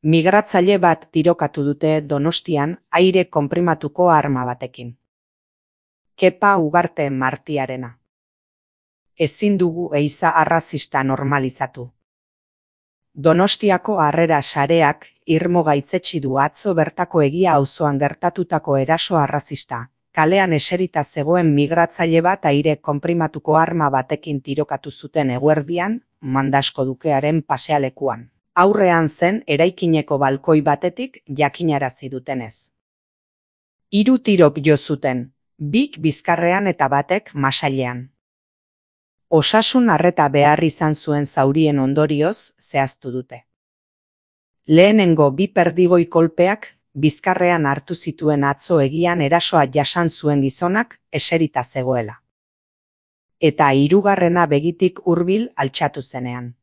Migratzaile bat tirokatu dute Donostian aire konprimatuko arma batekin. Kepa Ugarte Martiarena. Ezin dugu ehiza arrazista normalizatu. Donostiako Harrera Sareak irmo gaitzetsi du atzo bertako Egia auzoan gertatutako eraso arrazista. Kalean eserita zegoen migratzaile bat aire konprimatuko arma batekin tirokatu zuten eguerdian, Mandasko Dukearen pasealekuan. Aurrean zen eraikineko balkoi batetik jakinarazi dutenez. 3 tirok jo zuten, 2 bizkarrean eta batek masailean. Osasun arreta behar izan zuen zaurien ondorioz zehaztu dute. Lehenengo 2 perdigoi kolpeak bizkarrean hartu zituen atzo Egian erasoa jasan zuen gizonak eserita zegoela. Eta 3. begitik hurbil altxatu zenean.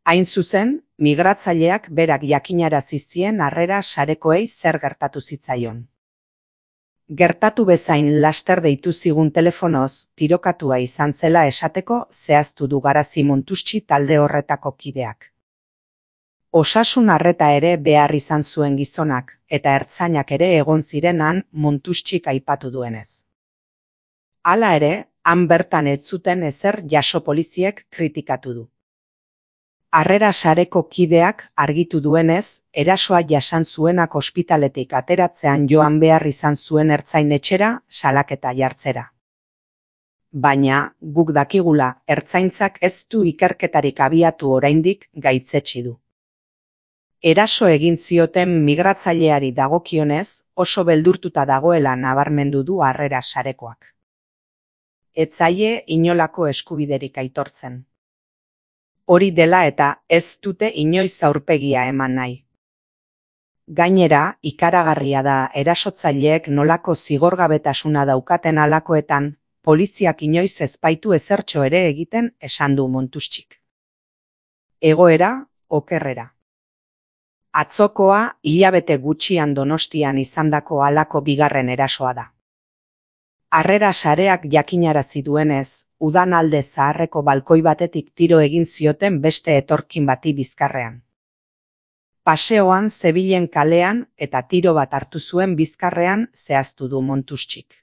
Hain zuzen, migratzaileak berak jakinarazi zien Harrera Sarekoei zer gertatu zitzaion. Gertatu bezain laster deitu zigun telefonoz, tirokatua izan zela esateko zehaztu du Garazi Montustxi talde horretako kideak. Osasun arreta ere behar izan zuen gizonak, eta ertzainak ere egon zirenan Montustxik aipatu duenez. Hala ere, han bertan ez zuten ezer jaso poliziek kritikatu du. Harrera Sareko kideak argitu duenez, erasoa jasan zuenak ospitaletik ateratzean joan behar izan zuen ertzain-etxera salaketa jartzera. Baina, guk dakigula, ertzaintzak ez du ikerketarik abiatu oraindik gaitzetsi du. Eraso egin zioten migratzaileari dagokionez, oso beldurtuta dagoela nabarmendu du Harrera Sarekoak. Ez zaie inolako eskubiderik aitortzen. Hori dela eta ez dute inoiz aurpegia eman nahi. Gainera, ikaragarria da erasotzaileek nolako zigorgabetasuna daukaten halakoetan, poliziak inoiz ez baitu ezertxo ere egiten esan du Montustxik. Egoera, okerrera. Atzokoa hilabete gutxian Donostian izandako halako bigarren erasoa da. Harrera Sareak jakinarazi duenez, udan alde zaharreko balkoi batetik tiro egin zioten beste etorkin bati bizkarrean. Paseoan zebilen kalean eta tiro bat hartu zuen bizkarrean zehaztu du Montustxik.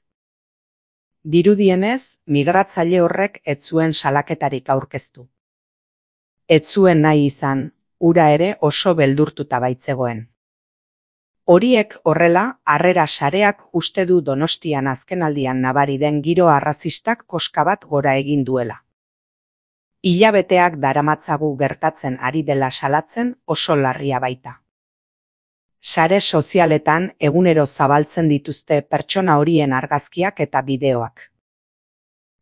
Dirudienez, migratzaile horrek ez zuen salaketarik aurkeztu. Ez zuen nahi izan, hura ere oso beldurtuta baitzegoen. Horiek horrela, Harrera Sareak uste du Donostian azkenaldian nabari den giro arrazistak koska bat gora egin duela. Hilabeteak daramatzagu gertatzen ari dela salatzen oso larria baita. Sare sozialetan egunero zabaltzen dituzte pertsona horien argazkiak eta bideoak.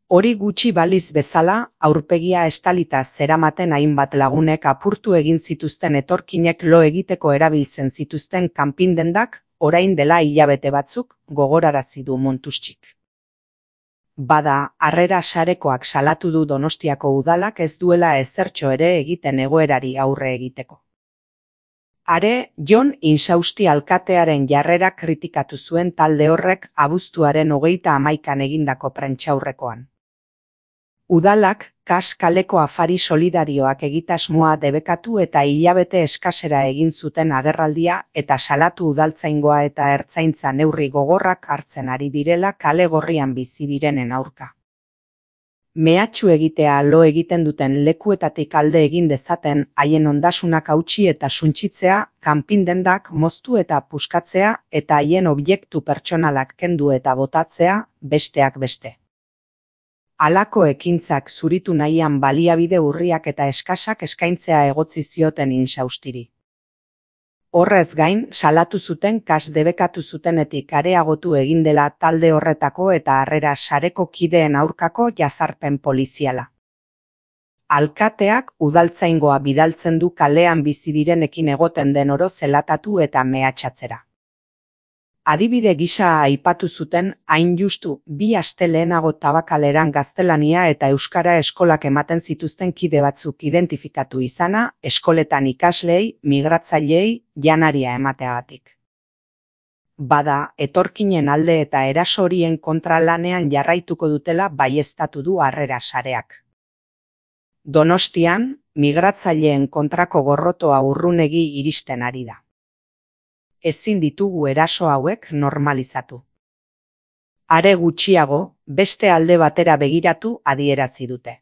Hori gutxi baliz bezala, aurpegia estalita zeramaten hainbat lagunek apurtu egin zituzten etorkinek lo egiteko erabiltzen zituzten kanpindendak, orain dela hilabete batzuk gogorarazi du Montustxik. Bada, Harrera Sarekoak salatu du Donostiako udalak ez duela ezertxo ere egiten egoerari aurre egiteko. Are, Jon Insausti alkatearen jarrera kritikatu zuen talde horrek abuztuaren 21an egindako prentsaurrekoan. Udalak, kaleko afari solidarioak egitasmoa debekatu eta hilabete eskasera egin zuten agerraldia eta salatu udaltzaingoa eta ertzaintza neurri gogorrak hartzen ari direla kale gorrian bizi direnen aurka. Mehatxu egitea lo egiten duten lekuetatik alde egin dezaten haien ondasunak hautsi eta suntsitzea, kanpindendak moztu eta puskatzea eta haien objektu pertsonalak kendu eta botatzea, besteak beste. Halako ekintzak zuritu nahian baliabide urriak eta eskasak eskaintzea egotzi zioten Insaustiri. Horrez gain, salatu zuten debekatu zutenetik areagotu egin dela talde horretako eta Harrera Sareko kideen aurkako jazarpen poliziala. Alkateak udaltzaingoa bidaltzen du kalean bizi direnekin egoten den oro zelatatu eta mehatxatzera. Adibide gisa aipatu zuten hain justu 2 aste lehenago Tabakaleran gaztelania eta euskara eskolak ematen zituzten kide batzuk identifikatu izana, eskoletan ikasleei, migratzaileei, janaria emateagatik. Bada, etorkinen alde eta eraso horien kontra lanean jarraituko dutela baieztatu du Harrera Sareak. Donostian, migratzaileen kontrako gorrotoa urrunegi iristen ari da. Ezin ditugu eraso hauek normalizatu. Are gutxiago, beste alde batera begiratu adierazi dute.